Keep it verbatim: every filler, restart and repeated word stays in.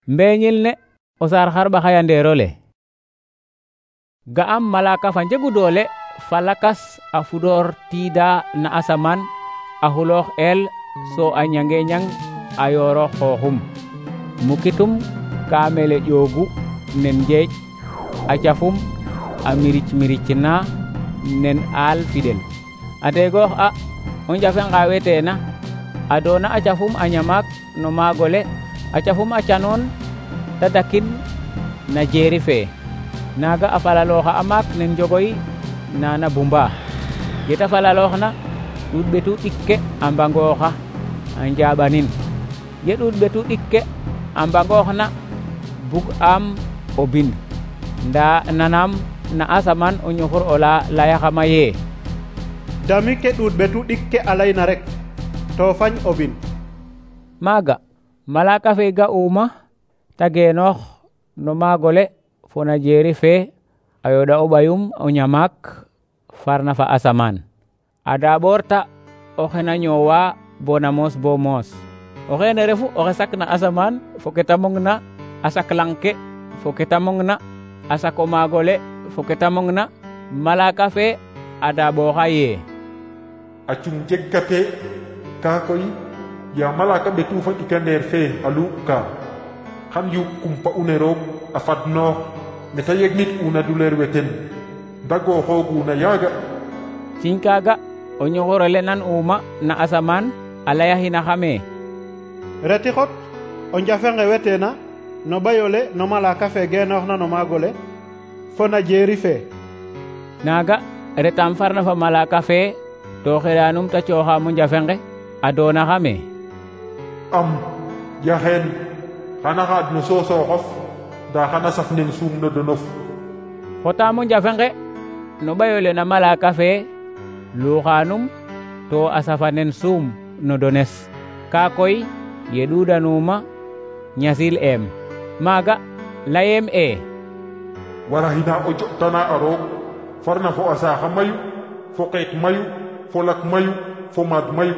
Mbeñil ne o saar xarɓa xayandeerole. Ga'am malaka fa njegu doole fa lakas a fudoor tiida na asamaan a xuloox eel so a ñange ñang a yooroox xooxum. Mukitum ka mele ƴoogu nen njeeƴ, a cafum a miric miric na nen aal fidel. A ndeegoox a o njafe nga weteena a doona a cafum a ñamaak no maagole, a cafum a canoon ta dakin na jeeri fee. Naaga a falalooxa a maak nen njogoy nana bumba. Yeta falalooxna ɗuuɗ ɓetu ɗik ke a mbangooxa a njaaɓanin. Ye ɗuuɗ ɓetu ɗik ke a mbangooxna bug am o bind, ndaa nanam na asamaan o ñuxur ola layaxama yee: dami ke ɗuuɗ ɓetu ɗik ke a layna rek to fañ o bind. Maaga malaka fe ga'uma ta geenoox no maagole fo na jeeri fee a yooɗa o ɓayum o ñamaak farna fa asamaan. A daaɓoorta oxe na ñoowa bona moos bo moos. Oxeene refu oxe sakna asamaan fo ke ta mongna, a sak lang ke fo ke ta mongna, a sak o maagole fo ke ta mongna. Malaka fe a daaɓooxa yee: a cung jegkate kaa koy ya malaka ɓetu fa ɗikandeer fee a luuɓ ka xan yu kumpa une roog a fadnoox neta yegnit una duleer weten dagooxooguna yaaga. Ciñ kaaga o ñuxurole nan uma na asamaan a layaxinaxame: reti xot o njafe nge weteena no ɓayole no malaka fe geenooxna no maagole fo na jeeri fee. Naaga retam farna fa malaka fe to xeɗanum ta cooxaam o njafe nge a doonaxame: am yaxeen xana xaad no soosooxof ndaa xana saf nen suum no donof. Xotaam o njafe nge no ɓayole na malaka fe luuxanum to a safa nen suum no dones. Kaa koy ye ɗuuɗanuma ñasil em. Maaga layem e: waraxina o jo'tana a roog farna fo a saaxa mayu, fo qeek mayu, fo lak mayu, fo maad mayu.